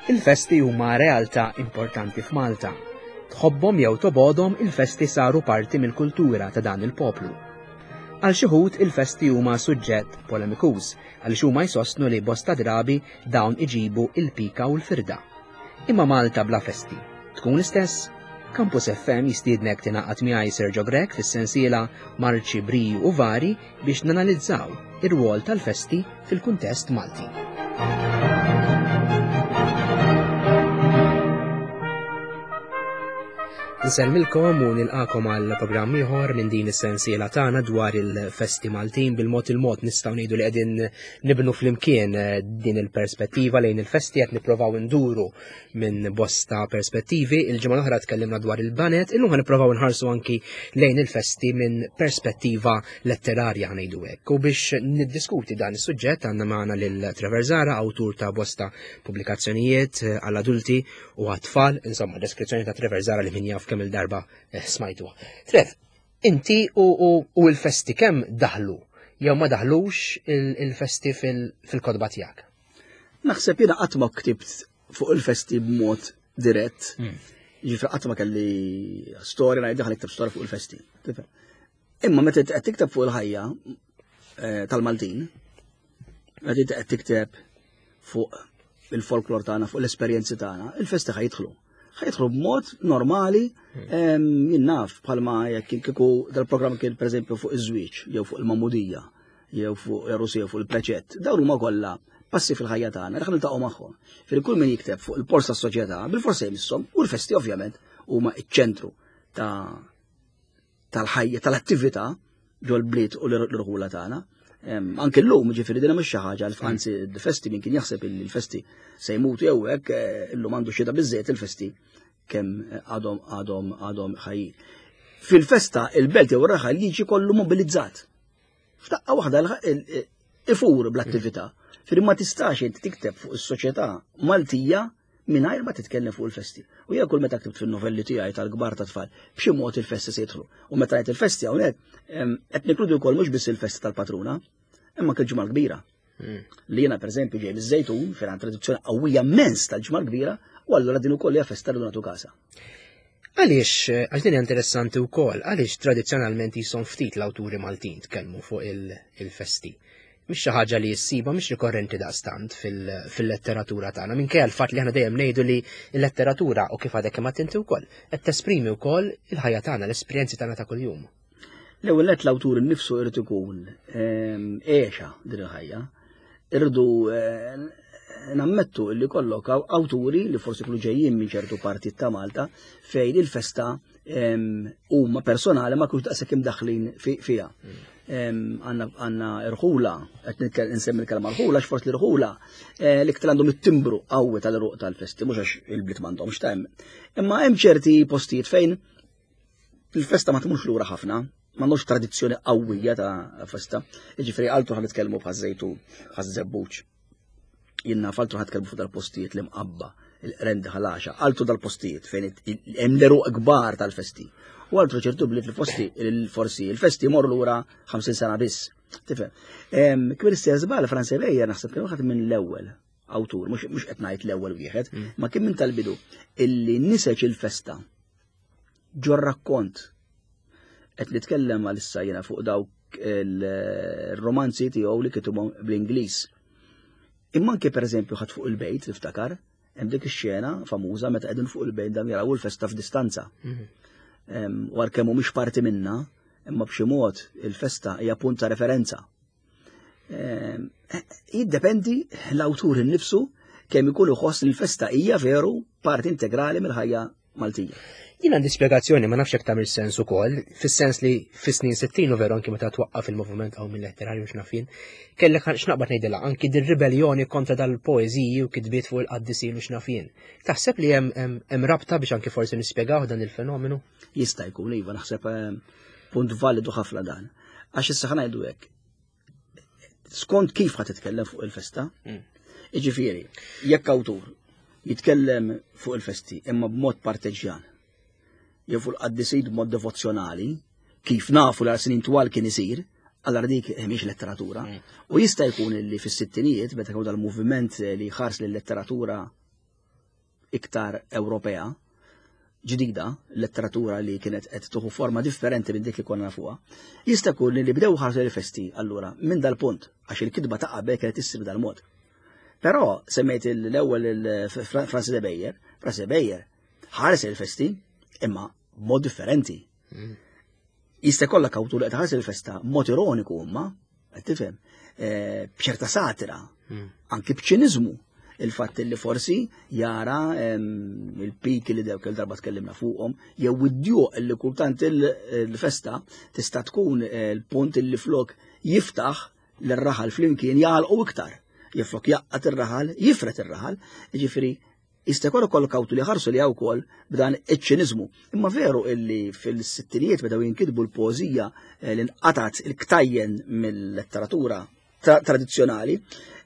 Il-festi huma realtà importanti f'Malta. Tħobbhom jew tobgħodhom il-festi saru parti mill-kultura ta' dan il-poplu. Għal xi wħud il-festi huma suġġett polemikuż għaliex huma jsostnu li bosta drabi dawn iġibu il-pika u l-firda. Imma Malta bla festi tkun l-istess? Campus FM jistiednek tingħaqad miegħi Sergio Grech fis-sensiela Marċi Briju u Vari biex nanalizzaw ir-rwol tal-festi fil-kuntest Malti. Nsellmilkom u nilqakom għal programm ieħor minn din is-sensiela tagħna dwar il-festi Maltin bil-mod il-mod nistgħu ngħidu li qegħdin nibnu flimkien eh, din il-perspettiva lejn il-festi qed nipprovaw induru minn bosta perspettivi. Il-ġimgħa l-oħra tkellimna dwar il-banet, illum ħa nipprovaw nħarsu anki lejn il-festi minn perspettiva letterarja ngħidu hekk. U biex niddiskuti dan is-suġġett għandna magħna lil Trevor Zara, awtur ta' bosta pubblikazzjonijiet eh, għall-adulti u għat-tfal, insomma deskrizzjoni ta' Trevor Zara li min jaf kemm il-darba eh, smajtuha. Trev, inti u l-festi kemm daħlu jew ma daħlux il-festi fil-kodba tiegħek? Naħseb jiena qatt ma ktibt fuq il-festi b'mod dirett. Hmm. Ġifri qatt ma kelli storja ngħid daħal ikteb storja fuq il-festi. Imma meta qed tikteb fuq il-ħajja eh, tal-Maltin, meta qed tikteb fuq il-folklor tagħna, fuq l-esperjenzi tagħna, il-festi ħajidħlu. Ħajidħlu b'mod normali, hmm. jien naf bħalma jekk kieku dal-programm kien pereżempju fuq iż-żwieġ jew fuq il-mamudija jew fuq Russi jew fuq il-preċett, dawn huma kollha passi fil-ħajja tagħna, li niltaqgħu magħhom. Fil kull min jikteb fuq il-pors tas-soċjetà, bil-forsi jmisshom u l-festi ovvjament huma ċ-ċentru ta' tal-ħajja, tal-attività ġol-bliet u l-irħula tagħna. Anke llum, ġifieri din mhux xi ħaġa, anzi l-festi min kien jaħseb li l-festi se jmutu jew hekk, eh, illum għandu xhieda biżżejjed il-festi kemm għadhom għadhom għadhom ħajjin. Fil-festa il-belt jew ir-raħal jiġi kollu mobilizzat. F'daqqa waħda ifur bl-attività. Firri ma tistax inti tikteb fuq is-soċjetà Maltija mingħajr ma titkellem fuq il-festi. U jien kull meta ktibt fin-novelli tiegħi tal-kbar ta' tfal, b'xi mod il-festi se jidħlu. U meta ngħid il-festi hawnhekk qed nikludu wkoll mhux biss il-festi tal-patruna, imma anke l-ġimgħa kbira. Hmm. Li jiena pereżempju ġej miż-Żejtun fejn tradizzjoni qawwija immens tal-ġimgħa kbira, u allura din ukoll hija festa li nagħtu kasa. Għaliex, għax din interessanti wkoll, għaliex tradizzjonalment jisom ftit l-awturi Maltin tkellmu fuq il-festi. Mhix xi ħaġa li jissiba mhix rikorrenti daqstant fil-letteratura tagħna, minkejja l-fatt li aħna dejjem ngħidu li l-letteratura u kif għadek kemm inti wkoll qed tesprimi wkoll il-ħajja tagħna, l-esperjenzi tagħna ta' kuljum. L-ewwel nett l-awtur innifsu irid ikun ehm, għexa din il-ħajja. Irridu eh, nammettu li kollok awturi li forsi kienu ġejjin minn ċertu partit ta' Malta fejn il-festa ehm, huma personali ma kienux daqshekk imdaħlin fiha. Ehm, għanna irħula, qed nsemmi l-kelma rħula, x'forsi l-irħula eh, l-iktar għandhom it-timbru qawwi tal-ruq tal-festi, mhux għax il-bliet m'għandhomx ta' Imma hemm ċerti postijiet fejn il-festa ma tmurx lura ħafna, m'għandux tradizzjoni qawwija ta' festa. Jiġifieri għaltu ħan nitkellmu bħaż-żejtun, bħaż-żebbuġ. Jien naf għaltu ħan nitkellmu fuq dal-postijiet li mqabba, il-qrendi ħalaxa, għaltu dal-postijiet fejn hemm l-eruq kbar tal-festi. U għaltu ċertu bliet li fosti forsi il-festi morru lura 50 sena biss. Tifhem. Kbir istess żball Franz Ebejer naħseb kien waħed minn l-ewwel awtur, mhux qed ngħid l-ewwel wieħed, mm. ma kien minn tal-bidu illi niseġ il-festa ġo rakkont. Qed nitkellem għalissa jiena fuq dawk il-romanzi tiegħu li kitibhom bl-Ingliż. Imma anke pereżempju ħadd fuq il-bejt niftakar, hemm dik ix-xena famuża meta qegħdin fuq il-bejt dan jaraw il-festa f'distanza. Mhm. U għalkemm mhumiex parti minna, imma b'xi mod il-festa hija punt ta' referenza. Jiddependi l-awtur innifsu kemm ikun iħoss li l-festa hija veru parti integrali mill-ħajja Maltija. Jien għandi spjegazzjoni ma nafx jekk tagħmel sens ukoll, fis-sens li fis-snin 60 u veru anki meta twaqqaf il-moviment hawn mill-letterarju x'naf jien, kellek x'naqbad ngħidilha anki dir-ribelljoni kontra dal-poeżiji u kitbiet fuq il-qaddisin u x'naf jien. Taħseb li hemm rabta biex anki forsi nispjegaw dan il-fenomenu? Jista' jkun iva naħseb eh, punt validu ħafna dan. Għax issa ħanajdu hekk. Skont kif ħa titkellem fuq il-festa, hmm. Iġifieri, jekk awtur jitkellem fuq il-festi imma b'mod parteġjan, jew fuq il-qaddisin b'mod devozzjonali, kif nafu l snin twal kien isir, allora dik mhix letteratura. Mm. U jista' jkun li fis-sittinijiet meta kienu dal-moviment li ħars lil letteratura. iktar Ewropea, ġdida, letteratura li kienet qed tuħu forma differenti minn dik li konna nafuha, jista' jkun li bdew ħarsu l-festi allura minn dal-punt għax il-kitba ta' qabel kienet issir dal-mod. Però semmejt l-ewwel il-Francis de Beyer, Francis de Beyer ħares il-festi imma b'mod differenti. Jista' jkollok awtur li qed ħares il-festa b'mod ironiku imma, qed tifhem, eh, b'ċerta satira, anki b'ċiniżmu il-fatt li forsi jara il-piki li dewk il-darba tkellimna fuqhom, jew id-djuq li kultant il-festa tista' tkun eh, l-punt li flok jiftaħ l-raħal flimkien jgħalqu iktar. Jiflok jaqqat ir-raħal, jifret ir-raħal, ġifieri jista' jkun ukoll kawtu li ħarsu li wkoll b'dan iċ-ċiniżmu. Imma veru illi fil-sittinijiet bdew jinkitbu l-poeżija eh, li nqatat il-ktajjen mill-letteratura tradizzjonali,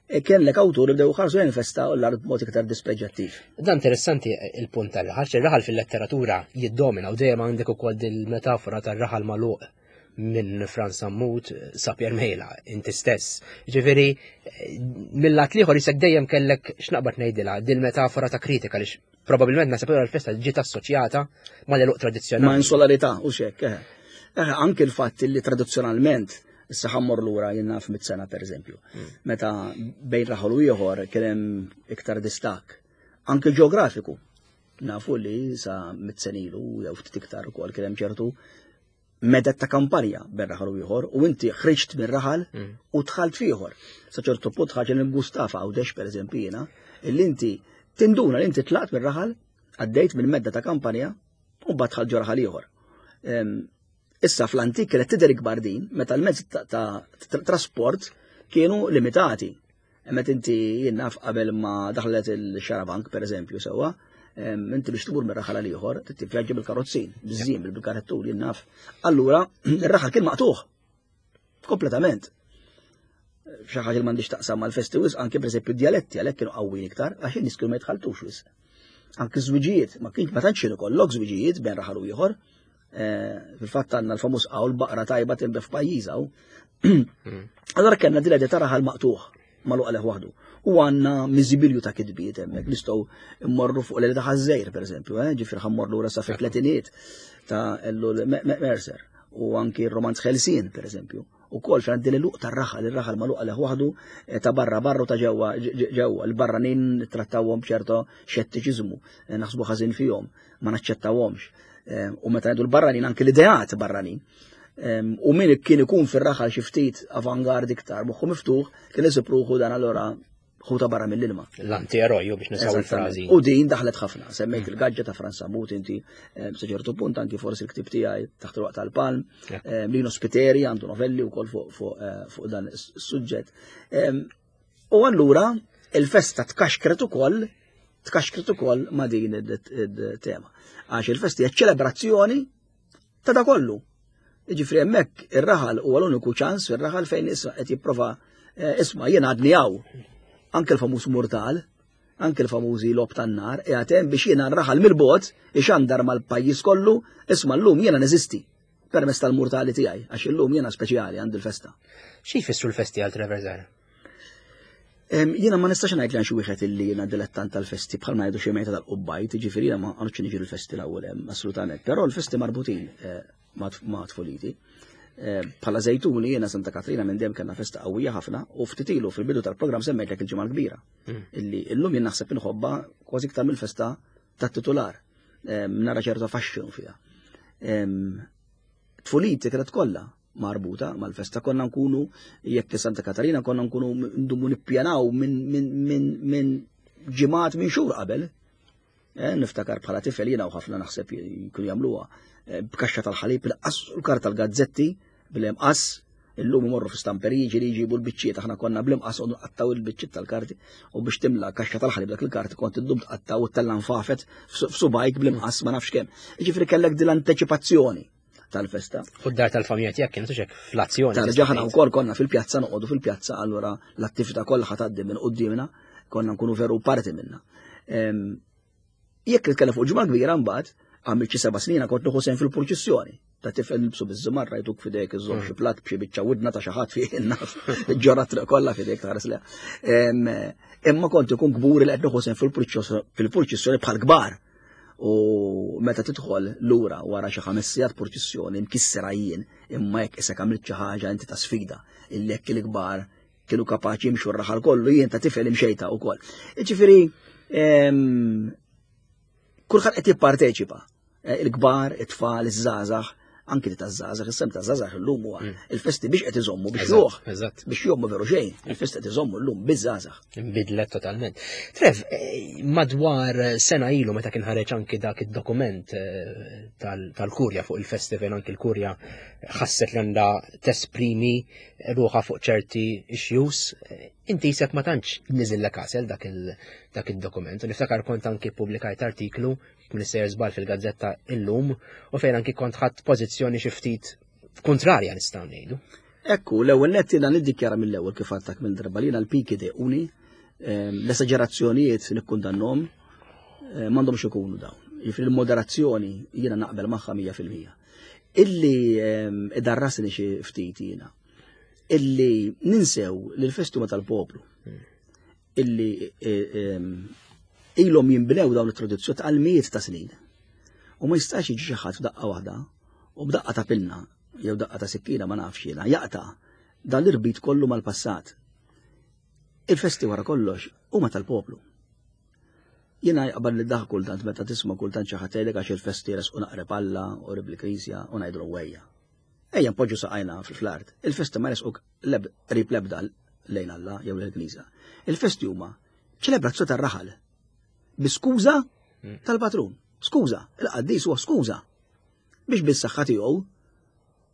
eh, kien lek awtur li bdew ħarsu lejn festa u l-art b'mod iktar dispreġjattiv. Dan interessanti il-punt tal-raħal, ir-raħal fil-letteratura jiddomina u dejjem għandek ukoll dil-metafora tar-raħal magħluq minn Franz Sammut sa Pier Mejla, inti stess. Ġifieri, mill-lat liħor jisek dejjem kellek x'naqbad ngħidilha dil-metafora ta' kritika li probabbilment nasab l-festa ġiet assoċjata ma' l tradizzjonali. Ma' insularità u xek. Eh. Eh, anke l-fatt li tradizzjonalment issa ħammur lura jien naf mit-sena pereżempju. Meta bejn raħal u ieħor kien hemm iktar distakk, anke ġeografiku. Nafu li sa mit-senilu jew ftit iktar ukoll kien hemm ċertu medet ta' kampanja bejn raħal u ieħor u inti ħriġt minn raħal mm. u dħalt f'ieħor. Sa ċertu punt ħaġa li Gustafa Għawdex pereżempju jiena, illi inti tinduna li inti tlaqt minn raħal, għaddejt minn medda ta' kampanja u mbagħad dħalt ġo raħal ieħor. Issa fl-antik kienet tidher ikbar din meta l-mezzi ta' trasport kienu limitati. Met inti jien naf qabel ma daħlet il-xarabank, per eżempju, sewwa, inti biex tmur minn raħal għal ieħor, tivvjaġġi bil-karozzin, biż-żien, bil-karettur, jien naf. Allura, ir-raħal kien maqtuħ. Kompletament. Xi ħaġa li m'għandix taqsam mal-festi wisq, anke pereżempju d-djaletti għalhekk kienu qawwin iktar, għax in-nies kienu ma jitħaltux wisq. Anke żwiġijiet, ma kienx ma tantx kienu kollok żwiġijiet bejn raħal u ieħor. Eh, fil-fatt għandna l-famuż qawl baqra tajba tinbef pajjiżha. Hmm. Allora kellna dil ta' raħal maqtuħ maluq għalih waħdu. U għandna miżibilju ta' kitbiet hemmhekk nistgħu mmorru fuq l ta' ħażżejr pereżempju, eh, ġifier ħammorru lura sa fit-tletiniet ta' Ellul Mercer u anki r-romanz Ħelsien pereżempju. U kol fejn din il-luq tar-raħal, ir-raħal magħluq għalih waħdu eh, ta' barra barru ta' ġewwa ġewwa, l-barranin trattawhom b'ċerto xettiċiżmu, eh, naħsbu ħażin fihom. ma naċċettawhomx. Ehm, u meta ngħidu l-barranin anke l-ideat barranin. Ehm, u min kien ikun fir-raħal xi ftit avangard iktar moħħu miftuħ kien isib ruħu dan allura ħuta barra mill-ilma. L-anti-eroj biex nisaw il-frażi. U din daħlet ħafna, semmejt mm. il-gaġġa ta' Franz Samut inti ehm, sa ċertu punt anki forsi l-ktib tiegħi taħt il-waqt tal-palm, Lino Spiteri għandu novelli wkoll fuq eh, dan is-suġġett. U allura il-festa tkaxkret ukoll tkaxkret ukoll ma' din it-tema. Għax il-festa hija ċelebrazzjoni ta' da kollu. Jiġifieri hemmhekk ir-raħal huwa l-uniku ċans fir-raħal fejn issa qed jipprova eh, isma' jien għadni hawn. Anke l-famuż murtal, anke l-famużi lob tan-nar, qiegħed hemm biex jiena r-raħal mill-bogħod ixandar mal-pajjiż kollu, isma' llum jiena neżisti permezz tal-murtali tiegħi, għax illum jiena speċjali għandi l-festa. Xi jfissru l-festi għal Trevor Zara? Jiena ma nistax ngħid li xi wieħed illi jiena dilettant tal-festi bħalma jgħidu xi mejta tal-qubbajt, jiġifieri jiena ma għandx niġi l-festi l-ewwel hemm assolutament, però l-festi marbutin eh, ma' tfuliti. Eh, bħala Żejtuni jiena Santa Katrina minn dejjem kellna festa qawwija ħafna u ftit ilu fil-bidu tal-programm semmejtlek il-ġimgħa l-kbira. Hmm. Illi illum jien naħseb inħobba kważi iktar mill-festa tat-titular. Nara ċerta faxxinu fiha. Tfuliti kienet kollha marbuta mal-festa konna nkunu jekk Santa Katarina konna nkunu ndumu nippjanaw minn ġimgħat minn xhur qabel. Eh, niftakar bħala tifel jiena u ħafna naħseb jkunu jagħmluha eh, b'kaxxa tal-ħalib il-qas u l-karta tal-gazzetti bil-imqas illum imorru fi stamperiji li jġibu l-biċċiet aħna konna bl-imqas u nqattaw il-biċċiet tal-karti u biex timla kaxxa tal-ħalib dak il-karti kont iddum tqattaw u tella nfafet f'subajk bl-imqas ma nafx kemm. Jiġifieri kellek din l-anteċipazzjoni tal-festa. U d-dar tal-familja tiegħek kienet hekk fl-azzjoni. Tarġa' ħana wkoll konna fil-pjazza noqogħdu fil-pjazza allura l-attività kollha ħatgħaddi minn quddiemna, konna nkunu veru parti minna. Jekk nitkellem fuq ġimgħa kbira mbagħad, Għamilt xi seba' snin kont nieħu sehem fil-purċissjoni. Ta' tifel nilbsu biż-żumarra jtuk f'idejk iżżomm xi platt b'xi biċċa widna ta' xi ħadd fih naf. Ġorra triq kollha f'idejk tħares leha. Imma kont ikun kburi li qed nieħu sehem fil-purċissjoni bħal kbar. U meta tidħol lura wara xi ħames sigħat purċissjoni mkissera jien imma jekk isek għamilt xi ħaġa inti ta' sfida illi jekk il-kbar kienu kapaċi jimxu r-raħal kollu jien ta' tifel imxejta wkoll. Ġifieri kulħadd qed jipparteċipa. Eh, il-kbar, it-tfal, iż-żgħażagħ, anki li taż-żgħażagħ, is-sem taż-żgħażagħ illum huwa mm. il-festi biex qed iżommu biex juh. Biex jommu veru xejn, il-festi qed iżommu llum biż-żgħażagħ. Inbidlet totalment. Trev, eh, madwar sena ilu meta kien ħareġ anki dak id-dokument eh, tal-Kurja fuq il-festi fejn anki l-Kurja ħasset li għandha tesprimi ruħha fuq ċerti issues, inti jisek ma tantx niżillek għasel dak il-dokument. Niftakar kont anki publikajt artiklu minn sejjer żball fil-gazzetta illum u fejn anki kont ħadd pożizzjoni xi ftit kontrarja nistgħu ngħidu. Ekku, l-ewwel nett jiena niddikjara mill-ewwel kif għadtak minn darba li l-piki dequni, ehm, l-esaġerazzjonijiet nikkundannhom, eh, m'għandhomx ikunu dawn. Jiġifieri l-moderazzjoni jiena naqbel magħha 100%. Illi ehm, idarrasni xi ftit jiena. Illi ninsew li l-festi huma tal-poplu. Illi eh, ehm, ilhom jinbnew dawn it-tradizzjoni għal mijiet ta' snin. U ma jistax jiġi xi ħadd f'daqqa waħda u b'daqqa ta' pinna jew daqqa ta' sikkina ma nafx jiena jaqta' dan l-irbit kollu mal-passat. Il-festi wara kollox huma tal-poplu. Jiena jaqbad li daħ kultant meta tisma' kultant xi ħadd jgħidlek għax il-festi resqu naqreb Alla u qrib il-Knisja u ngħidlu wejja. Ejja npoġġu saqajna fl-art. Il-festi ma resquk qrib l-ebda lejn Alla jew lejn il-Knisja. Il-festi huma ċelebrazzjoni tar-raħal. Bi skuża hmm. tal-patrun. Skuża, il-qaddis huwa skuża. Biex bis-saħħa tiegħu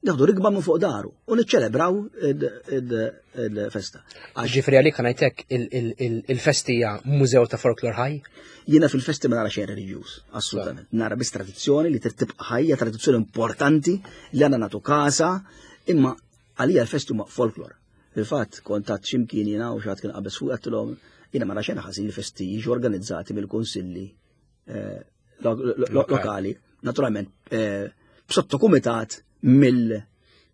Nieħdu rikba minn fuq daru u niċċelebraw il-festa. Ġifri għalik ngħidlek il-festi hija mużew ta' folklor ħaj? Jiena fil-festi ma nara xejn reliġjuż, assolutament. Nara biss tradizzjoni li trid tibqa' ħajja, tradizzjoni importanti li għandna nagħtu kasa, imma għalija l-festi huma folklor. Fil-fatt kont għad x'imkien jiena u xi kien qabeż fuq għedtilhom jiena ma nara xejn ħażin li festi jiġu organizzati mill-kunsilli eh, lokali, naturalment eh, b'sottokumitat mill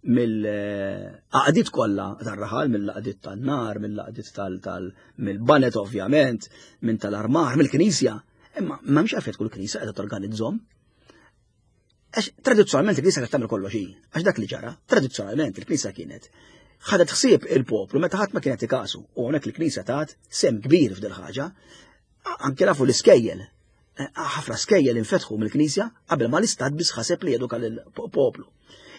mill-għaqdiet kollha tar-raħal, mill-għaqdiet tan-nar, mill-għaqdiet tal mill-banet ovvjament, minn tal-armar, mill-knisja. Imma m'hemmx għalfejn tkun knisja qiegħda torganizzhom. Għax tradizzjonalment il-knisja kienet tagħmel kollox hi, għax dak li ġara, tradizzjonalment il-knisja kienet ħadet ħsieb il-poplu meta ħadd ma kienet ikasu u hawnhekk il-knisja tat sem kbir f'dil ħaġa Anke nafu l-iskejjel, eh, ħafna skejjel infetħu mill-Knisja qabel ma l-Istat biss ħaseb li jeduka lill-poplu.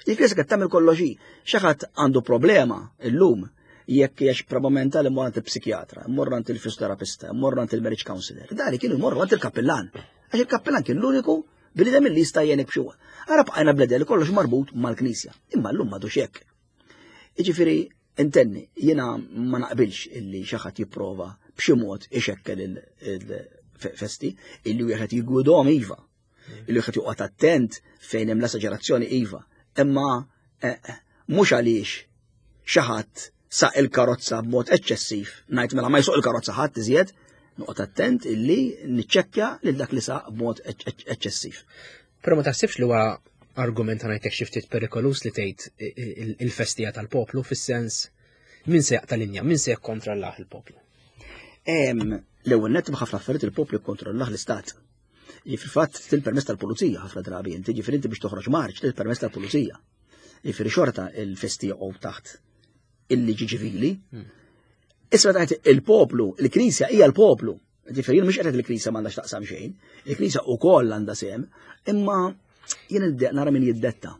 Il-Knisja qed tagħmel kollox hi. Xi ħadd għandu problema illum jekk hija problema mentali mmur għand il-psikjatra, mmur għand il-fisioterapista, mmur għand il-marriage counselor. Dari kienu jmorru għand il-kappillan. Għax il-kappillan kien l-uniku bniedem li jista' jgħinek b'xi Ara bqajna bledel li kollox marbut mal-Knisja. Imma llum m'għadux hekk. Jiġifieri Intenni, jiena ma naqbilx illi xi ħadd jipprova b'xi mod ixekkel il-festi, illi wieħed jiggwidhom iva, illi wieħed joqgħod attent fejn hemm l-esaġerazzjoni iva, imma eh, mhux għaliex xi ħadd saq il-karozza b'mod eċċessiv, ngħid mela ma jsuq il-karozza ħadd iżjed, noqgħod attent illi niċċekkja lil dak li saq b'mod eċċessiv. Però ma taħsibx li huwa argument ngħidlek xi ftit perikolus li tgħid il-festija tal-poplu fis-sens min se jaqta' linja, min se jikkontrollah il-poplu? L-ewwel nett b'ħafna affarijiet il-poplu jikkontrollah l-istat. Fil-fatt til-permess tal-pulizija ħafna drabi inti, ġifieri inti biex toħroġ marċ til-permess tal-pulizija. Ġifieri xorta il-festi joqgħu taħt il-liġi ċivili. Hmm. Issa meta il-poplu, il-Knisja hija l-poplu. Ġifieri jien mhux qed il-Knisja m'għandha x'taqsam xejn, il-Knisja wkoll għandha sehem, imma jien nara min jiddetta.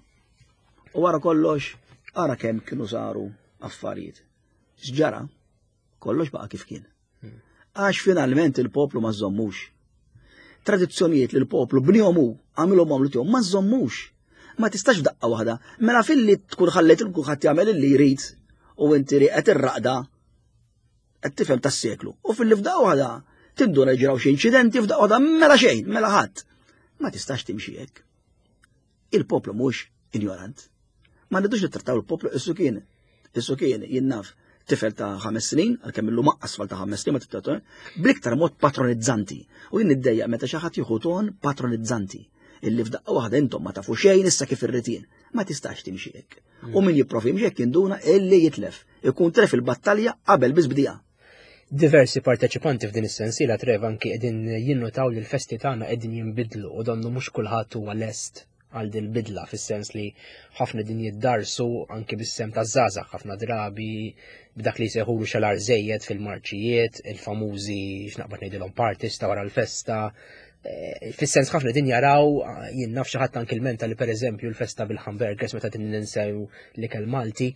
U wara kollox, ara kemm kienu saru affarijiet. X'ġara? Kollox baqa' kif kien. Għax finalment il-poplu ma żommux. Tradizzjonijiet li l-poplu bnihom hu, għamilhom għamlu tiegħu, ma żommux. Ma tistax f'daqqa waħda. Mela filli tkun ħallejt il kulħadd jagħmel illi jrid u inti li qed irraqda qed tifhem tas-seklu. U fil-li f'daqqa waħda tinduna ġraw xi inċidenti f'daqqa waħda mela xejn, mela ħadd. Ma tistax timxi hekk. Il-poplu mhux injorant. Ma rridux nittrattaw il-poplu issu kien. Issu kien jien naf tifel ta' ħames snin, għalkemm illum aqqas tfal ta' ħames snin ma tittrattaw, bl-iktar mod patronizzanti. U jien niddejjaq meta xi ħadd jieħu ton patronizzanti. illi f'daqqa waħda intom ma tafu xejn issa kif irrid jien. Ma tistax timxi hekk. U min jipprovi jimxi hekk jinduna illi jitlef. Ikun tref il-battalja qabel biss bdieha. Diversi parteċipanti f'din is-sensiela Trev anki qegħdin jinnutaw li l-festi tagħna qegħdin jinbidlu u donnu mhux kulħadd huwa lest għal din bidla fis-sens li ħafna din jiddarsu anki bis-sem ta' żgħażagħ ħafna drabi b'dak li jsejħulu xalar żejjed fil-marċijiet, il-famużi x'naqbad ngħidilhom parties ta' wara l-festa. Eh, fis-sens ħafna din jaraw jien naf xi ħadd anki l-menta li pereżempju l-festa bil-hamburgers meta din ninsew l-ikel Malti.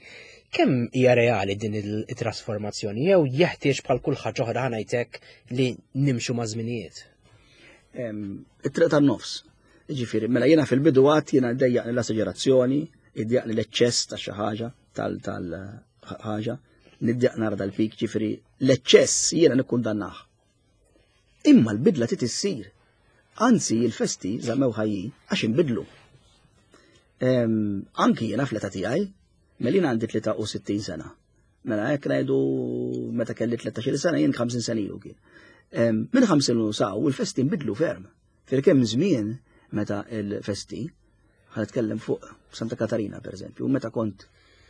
Kemm hija reali din il-trasformazzjoni jew jeħtieġ bħal kull ħaġa oħra ħanajtek li nimxu ma' żminijiet? It-triq tan-nofs. Ġifieri, mela jiena fil-bidu għad jiena dejjaqni l-esaġerazzjoni, iddejjaqni l-eċċess ta' xi ħaġa tal-ħaġa, niddejjaq nara dal-pik, ġifieri l-eċċess jiena nikkundannah. Imma l-bidla trid issir. Anzi, il-festi żammew ħajjin għax inbidlu. Anki jiena fl-età tiegħi, mela jiena għandi 63 sena. Mela hekk ngħidu meta kelli 13 sena jien 50 sena ilu kien. Minn 50 saw il-festi nbidlu ferm. Fil-kemm żmien meta l-festi, ħa nitkellem fuq Santa Katarina per eżempju, meta kont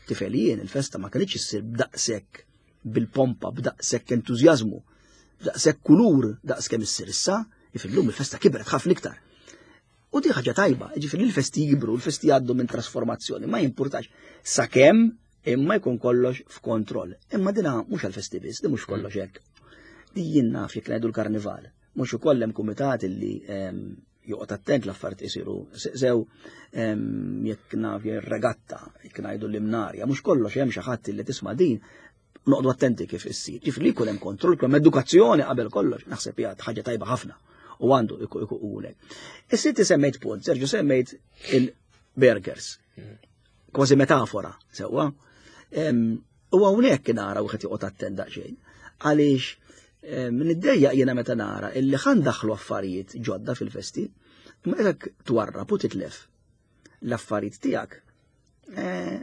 tifel jien il-festa ma kellitx issir b'daqshekk bil-pompa, b'daqshekk entużjażmu, b'daqshekk kulur daqs kemm issir issa, ifillum il-festa kibret ħafna iktar. U di ħaġa tajba, ġifieri l-festi jikbru, l-festi jgħaddu minn trasformazzjoni, ma jimpurtax sakemm imma jkun kollox f'kontroll. Imma dina mhux għall-festi biss, di mhux kollox hekk. Di jien naf jekk ngħidu l-karnival. Mhux ukoll hemm kumitat illi ehm, joqgħod attent l-affarijiet isiru sew ehm, jekk naf regatta, jekk ngħidu l-imnarja, mhux kollox hemm xi ħadd illi tisma' din noqgħdu attenti kif issir. Ġifri li jkun hemm kontroll, jkun edukazzjoni qabel kollox, naħseb hija ħaġa tajba ħafna u għandu ikun hekk. Is-sitti semmejt punt, Sergio semmejt il-burgers. Kważi metafora, sewwa. U hawnhekk nara wieħed joqgħod attent daqsxejn. Għaliex niddejjaq jiena meta nara illi ħan daħlu affarijiet ġodda fil-festi, imma jekk twarrab u titlef l-affarijiet tiegħek, eh,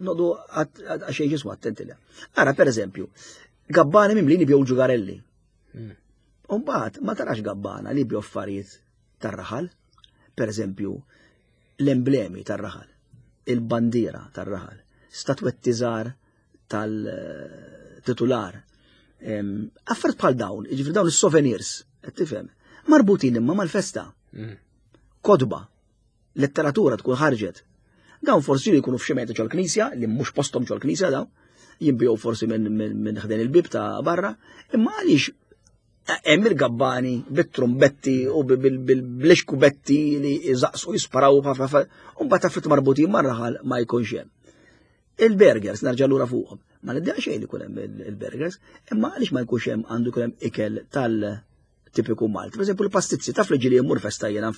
nodu għaxej ġismu attenti le. Ara, per eżempju, gabbani mimlini bjew ġugarelli. Hmm. Umbagħad ma tarax gabbana li bjew affarijiet tar-raħal, per eżempju, l-emblemi tar-raħal, il-bandiera tar-raħal, statwetti żgħar tal-titular. Affarijiet bħal dawn, jiġifieri dawn is-souvenirs, qed tifhem, marbutin imma mal-festa. Mm. Kodba, letteratura tkun ħarġet. Dawn forsi jkunu f'xi meta ġol-knisja, li mhux posthom ġol-knisja dawn, jinbiegħu forsi minn ħdejn il-bib ta' barra, imma għaliex hemm il-gabbani bit-trumbetti u bil-xkubetti li jżaqsu jisparaw ħafna u mbagħad affarijiet marbutin mar-raħal ma jkunx hemm. Il-burgers narġa' lura fuqhom. Ma niddeqa xejn li jkun hemm il-burgers, imma għaliex ma jkunx hemm għandu jkun hemm ikel tal-tipiku Malti. Per eżempju, l-pastizzi, taf li ġieli jmur festa jiena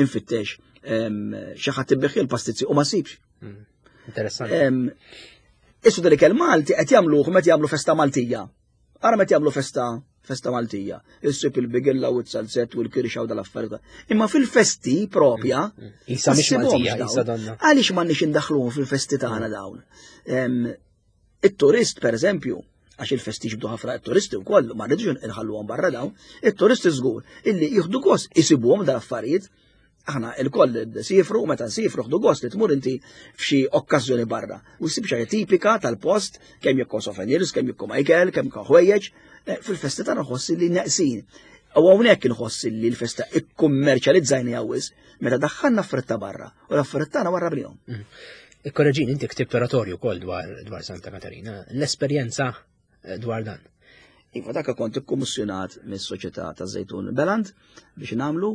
infittex xi ħadd ibbiħ il-pastizzi u ma sibx. Hmm, interessanti. Issu dal-ikel Malti qed jagħmluh meta jagħmlu festa Maltija. Ara meta jagħmlu festa festa Maltija, issib il-bigilla u t-salzett u l-kirxa u dal-affarijiet. Imma fil-festi propja, mm, mm. Isa mhix Maltija, isa donna. Għaliex m'għandniex indaħluhom fil-festi tagħna mm. dawn? It-turist, per eżempju, għax il-festi ġibdu ħafna it-turisti wkoll, ma rridux inħalluhom barra dawn, it-turisti żgur illi jieħdu gost isibuhom dal-affarijiet Aħna il-koll sifru, u meta nsifru ħdu gost li tmur inti f'xi okkażjoni barra. U ssib xi tipika tal-post, kemm jekk souvenirs, kemm jekk Michael, kemm jekk ħwejjeġ, eh, fil-festi tagħna nħoss li neqsin. U hawnhekk inħoss li l-festa ikkummerċjalizzajni għawis meta daħħalna affarijiet barra u l-affarijiet tagħna warra bnihom. Mm. Ikkoreġin, inti ktibt oratorju wkoll dwar Santa Katarina. L-esperjenza Eh, dwar dan. Iva dak kont ikkummissjonat mis-Soċjetà ta' Żejtun Beland biex nagħmlu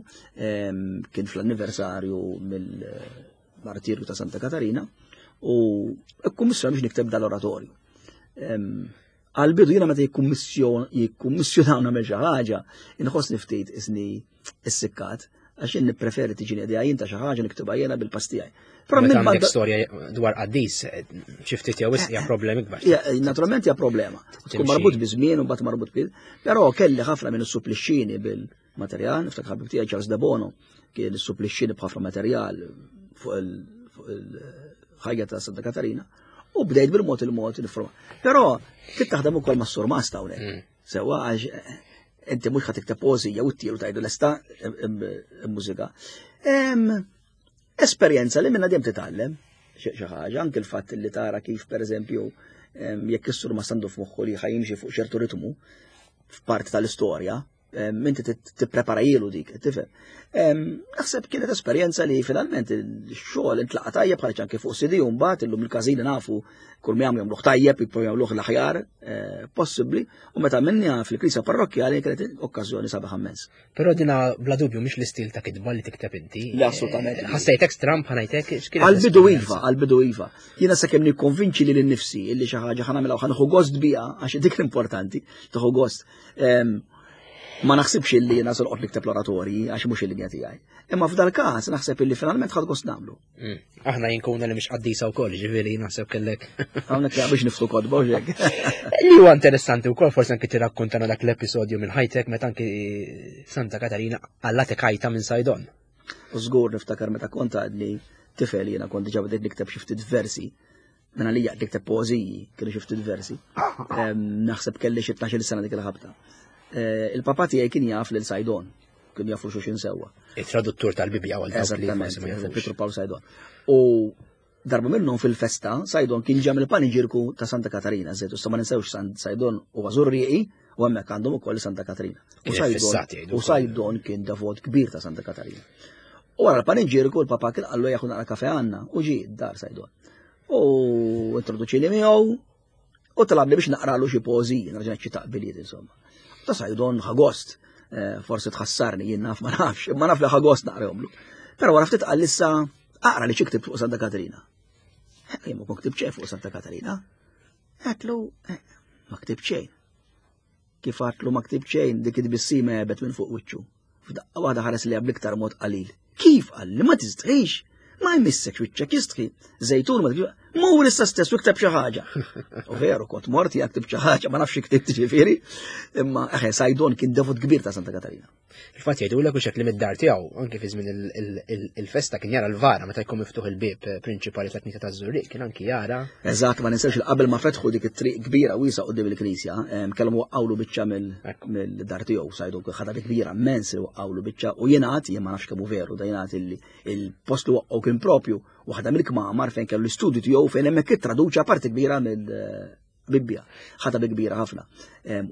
ehm, kien fl-anniversarju mill-martirju ta' Santa Katarina u ikkummissjonat biex nikteb dal-oratorju. Ehm, għal-bidu jiena meta jikkummissjonaw nagħmel xi ħaġa, inħossni ftit isni issikkat, għax jien nippreferi tiġini idea jien ta' xi ħaġa niktibha jiena bil-pass tiegħi. Però minn għandek storja dwar qaddis, xi ftit jew hija problemi kbar. Naturalment hija problema. Tkun marbut bi żmien u mbagħad marbut bil. Però kelli ħafna minn supplixxini bil-materjal, niftakar ħabib tiegħi Charles De Bono kien supplixxini b'ħafna materjal fuq il-ħajja ta' Santa Katarina u bdejt bil-mod il-mod nifroma. Però trid taħdem ukoll mas-surmast hawnhekk. Mm. Sewa għax Inti mhux ħa tikteb poeżija u ttielu tgħidu lesta mużika. Esperjenza li minna dejjem titgħallem xi ħaġa, anke l-fatt li tara kif pereżempju jekk is-sur ma sandu f'moħħu li ħajimxi fuq ċertu ritmu f'parti tal-istorja, inti tipprepara jilu dik, tifhem. Naħseb kienet esperjenza li finalment il-xogħol intlaqa tajjeb ħareġ anke fuq CD u mbagħad illum il-każini nafu kull ma jagħmlu jagħmluh tajjeb, jipprovaw jagħmluh l-aħjar eh, possibbli u meta minni fil-Knisja Parrokkjali kienet okkażjoni sabiħ immens. Però dina bla dubju mhix l-istil ta' kitba li tikteb inti. Le assolutament. Eh, ħassejtek stramp ħanajtek x'kien. Għal-bidu iva, għal-bidu iva. Jiena sakemm nikkonvinċi lil innifsi illi xi ħaġa ħanamilha u ħanieħu gost biha għax dik l-importanti, tieħu gost. Ma naħsibx illi jiena se noqgħod nikteb l-oratorji għax mhux il-linja tiegħi. Imma f'dal każ naħseb illi finalment ħadd gost nagħmlu. Mm. Aħna jinkuna li mhix qaddisa wkoll, ġifieri naħseb kellek. Hawnhekk biex niftu kotba u hekk. Li huwa interessanti wkoll forsi anki tirrakkontana dak l-episodju minn ħajtek meta anki Santa Katarina għallatek ħajta minn Sajdon. U żgur niftakar meta kont għadni tifel jiena kont diġà bdejt nikteb xi ftit versi Minn għalija qed nikteb poeżiji, kienu xi ftit versi. Naħseb kelli xi 12 sena dik il-ħabta. Eh, il-papa tiegħi kien jaf lil Sajdon, kien jafu xuxin sewwa. Il-traduttur tal-Bibja għal Eżattament, Pietru Pawl Sajdon. U darba minnhom fil-festa, Sajdon kien ġam il-paniġirku ta' Santa Katarina, żed, u ma ninsewx Sajdon u Żurrieqi, u hemmhekk għandhom ukoll Santa Katarina. U Sajdon kien devot kbir ta' Santa Katarina. U wara l-paniġirku l-papa kien qallu jaħu naqra kafe għandna u ġie dar Sajdon. U introduċini miegħu u talabni biex naqralu xi poeżiji, nerġa' xi taqbiliet insomma. Ta' Sajdon ħagost, eh, forsi tħassarni jien naf ma nafx, imma naf li ħagost naqrahomlu. Però wara ftit qal issa aqra li xi ktib fuq Santa Katarina. Eh, jien ma kont ktib xejn fuq Santa Katarina. Għatlu, eh, ma ktib xejn. Kif għatlu ma ktib xejn dik it-tbissima għebet minn fuq wiċċu. F'daqqa waħda ħares li bl-iktar mod qalil. Kif qalli ma tistħix? Ma jmissek wiċċek jistħi. Żejtun ma tgħix. Mur issa stess u kteb xi ħaġa. U veru kont mort jekk ktib xi ħaġa ma nafx ktibt ġifieri, imma eħe Sajdon kien devot kbir ta' Santa Katarina. Il-fatt jgħidulek u li mid-dar tiegħu, anke fi żmien il-festa kien jara l-vara meta jkun miftuħ il-bieb eh, prinċipali tal-Knisja taż-Żurrieq, kien anki jara. Eżatt, ma ninsewx qabel ma fetħu dik it-triq kbira wiesa qudiem il-Knisja, kellhom waqqawlu biċċa mill-dar tiegħu sajdu ħadha kbira immens li waqqawlu biċċa u jingħad, jien ma nafx kemm hu veru, da jingħad illi il-post li waqqgħu kien propju waħda mill-kmamar fejn kellu l-istudju tiegħu fejn hemmhekk ittraduċa parti kbira mill Bibbja, ħadha bi kbira ħafna.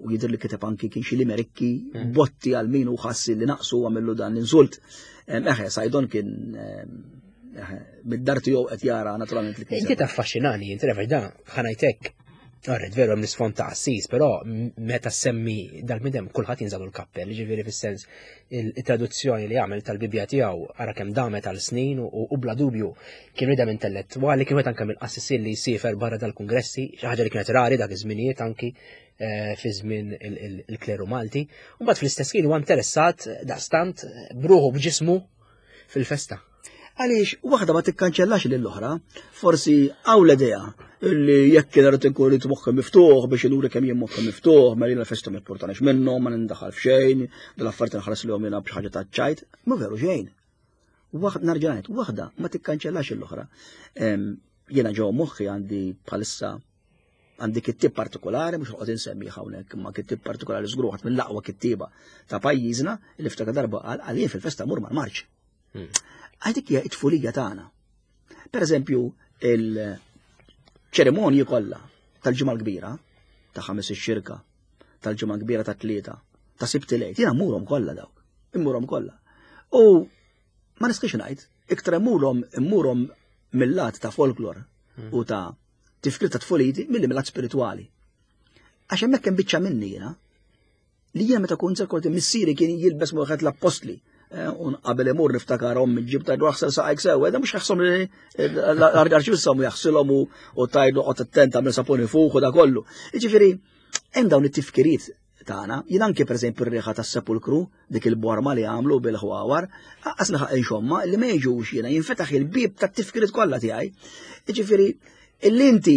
U jidher li kiteb anki kien xi limerikki mm. botti għal min u ħass li naqsu għamillu dan l-insult. Eħe, Sajdon kien mid-dar tiegħu qed jara naturalment li kien. Inti taffaxxinani, inti refer da ħanajtek Għarret, veru hemm l-isfond ta' Assis, però meta semmi dal-midem kulħadd jinżalu l-kappell, ġifieri fis-sens il-traduzzjoni li għamel tal-Bibbja tiegħu ara kemm damet għal snin u bla dubju Kien bniedem intellettwali, kien wieħed anke mill-qassisin li jsiefer barra dal-kungressi, xi ħaġa li kienet rari dak iż-żminijiet anki eh, fi żmien il-kleru Malti. U mbagħad fl-istess kien huwa interessat daqstant bruħu b'ġismu fil-festa. Għaliex waħda ma tikkanċellax lil oħra, forsi hawn l-idea illi jekk kien irid ikun irid moħħi miftuħ biex inuri kemm jien moħħi miftuħ, ma jiena l-festa ma importanix minnhom, ma nindaħal f'xejn, dal-affarijiet nħares lihom jiena b'xi ħaġa ta' ċajt, ma veru xejn. Waħda narġa' ngħid, waħda ma tikkanċellax l-oħra. Jiena ġew moħħi għandi bħalissa għandi kittib partikolari, mhux noqgħod insemmi hawnhekk, imma kittib partikolari żgur waħed mill-aqwa kittieba ta' pajjiżna li ftakar darba qal għalih fil-festa mur mal-marċ. Hmm. Għal dik hija t-tfulija tagħna. Per eżempju, il-ċerimonji kollha tal-ġimgħa l-kbira ta' ħames ix-xirka, tal-ġimgħa kbira ta' tlieta, ta' sibt il-għid, jiena mmurhom kollha dawk, immurhom kollha. U ma nistgħix ngħid, iktar immurhom immurhom mill-lat ta' folklor hmm. u ta' tifkir ta' tfuliti milli mill-lat spiritwali. Għax hemmhekk hemm biċċa minni jiena li jiena meta kont kont missieri kien jilbes wieħed l-appostli eh, un qabel imur niftakar ommi ġib tajdu aħsel saqajk sew, da mhux jaħsom li l-arċissom jaħsilhom u tajdu qgħod attent għamel saponi fuq u da kollu. Jiġifieri hemm dawn it-tifkiriet tagħna, jien anke pereżempju r-riħa tas-sepulkru, dik il-borma li għamlu bil-ħwawar, aqas li ħaq inxomma li ma jiġux jiena jinfetaħ il-bieb tat-tifkiriet kollha tiegħi. Jiġifieri illi inti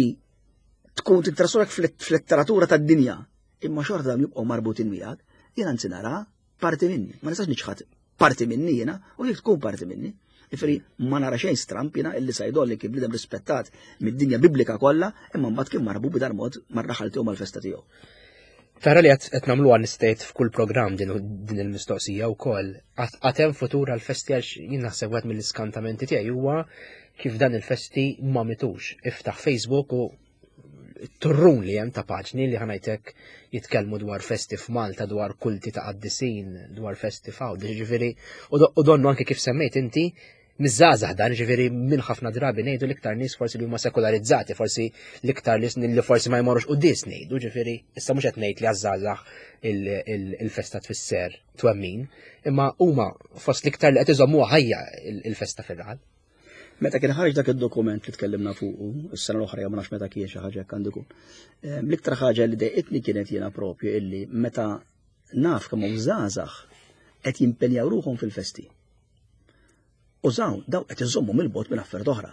tkun tintrasurek fl-letteratura tad-dinja, imma xorta dawn jibqgħu marbutin miegħek, jien anzi nara parti minni, ma nistax niċħad parti minni jiena u jekk tkun parti minni. Ifri ma nara xejn stramp jiena illi Sajdon li kien bniedem rispettat mid-dinja biblika kollha, imma mbagħad kien marbu b'dar mod mar-raħal tiegħu mal-festa tiegħu. Tara li qed nagħmluha nistgħid f'kull programm din, din il-mistoqsija wkoll. Għad hemm futur għall-festi għax jien naħseb wieħed mill-iskantamenti tiegħi huwa kif dan il-festi ma mitux. Iftaħ Facebook u turrun li hemm ta' paġni li ħanajtek jitkellmu dwar festi f'Malta, dwar kulti ta' qaddisin, dwar festi f'Għawdex, ġifieri u donnu anke kif semmejt inti miż-żgħażagħ dan, ġifieri minn ħafna drabi ngħidu l-iktar nies forsi li huma sekularizzati, forsi l-iktar nies li forsi ma jmorrux quddies ngħidu, ġifieri issa mhux qed ngħid li għaż-żgħażagħ il-festa tfisser twemmin, imma huma fost l-iktar li qed iżommuha ħajja il-festa fir-raħal. Meta kien ħareġ dak id-dokument li tkellimna fuqu, is-sena l-oħra jew ma nafx meta kien xi ħaġa hekk għandu jkun. L-iktar ħaġa li dejqitni kienet jiena propju illi meta naf kemm hawn żgħażagħ qed jimpenjaw ruħhom fil-festi. U żawn daw qed iżommu mill-bogħod minn affarijiet oħra.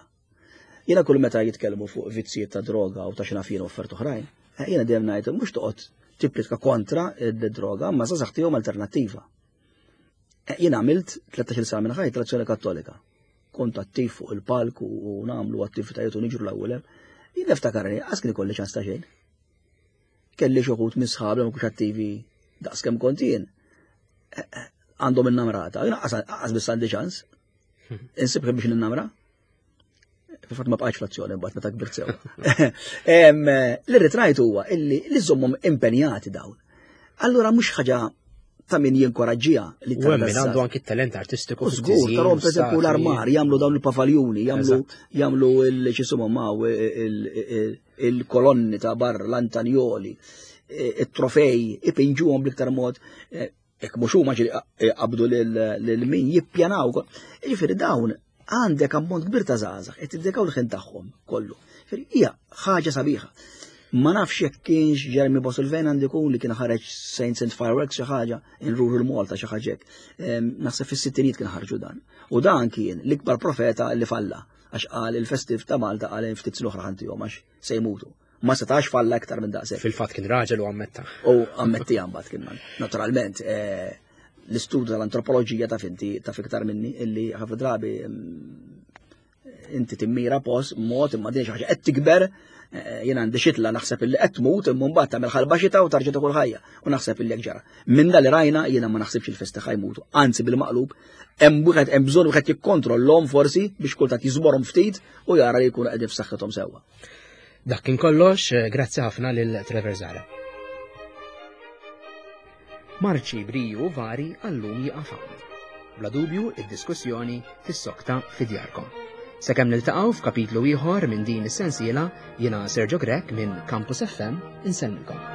Jiena kull meta jitkellmu fuq vizzijiet ta' droga u ta' xi naf jien u affarijiet oħrajn, eh, jiena dejjem ngħid mhux toqgħod tipplitka kontra d-droga, ma żgħażagħ tihom alternattiva. Eh, jien għamilt 13 sena minn ħajti l-Azzjoni Kattolika. Kont attiv fuq il-palk u nagħmlu attivitajiet u niġru l-ewwel hemm. Jien niftakarni, qas kien ikolli ċans ta' xejn. Kelli xi wħud minn sħabi ma kienux attivi daqs kemm kont jien. Eh, eh, għandhom in-namrata, jien qas biss għandi ċans. Insib biex ninnamra. Fil-fatt ma bqajtx fl-azzjoni mbagħad meta kbirt sew. Li rrid ngħid huwa illi li żommhom impenjati dawn. Allura mhux ħaġa ta' min jinkoraġġiha li ta' min għandu anki talent artistiku. Żgur, tarhom pereżempju l-armar jagħmlu dawn il-pavaljuni, jagħmlu jagħmlu il-xisumhom il-kolonni ta' barra, l-antanjoli, it-trofej, ipinġuhom bl-iktar mod eh, Jekk mhux huma ġieli eh, qabdu lil min jippjanaw. Jiġifieri dawn għandek ammont kbir ta' żgħażagħ qed jiddedikaw l-ħin tagħhom kollu. Jiġifieri hija ħaġa sabiħa. Ma nafx jekk kienx Jeremy Bosilven għandu jkun li kien ħareġ Saints and Fireworks xi ħaġa in Rural Malta xi ħaġa hekk. Ehm, naħseb fis-sittinijiet kien ħarġu dan. U dan kien l-ikbar profeta li falla għax qal il-festiv ta' Malta qal ftit snin oħra ħantihom għax se jmutu. Ma setax falla iktar minn daqshekk. Fil-fatt kien raġel u ammetta. U ammetti mbagħad kien man. Naturalment, eh, l-istudju tal-antropoloġija taf inti taf iktar minni illi ħafna drabi mm, inti timmira post mod imma din xi ħaġa qed tikber eh, jien għandi xitla naħseb illi qed tmut imma mbagħad tagħmel ħalba xita u tarġa' kull ħajja u naħseb illi hekk ġara. Minn dal rajna jiena ma naħsibx il-festi ħajmutu, anzi bil-maqlub hemm wieħed hemm bżonn wieħed jikkontrollhom forsi biex kultant jiżborhom ftit u jara li jkunu qegħdin f'saħħithom sewwa. Dak kien kollox, eh, grazzi ħafna lil Trevor Zara. Marċi briju vari għallum jiqaf hawn. Bla dubju, id-diskussjoni tissokta fi djarkom. Sakemm niltaqgħu f'kapitlu ieħor minn din is-sensiela, jiena Sergio Grech minn Campus FM insellmilkom.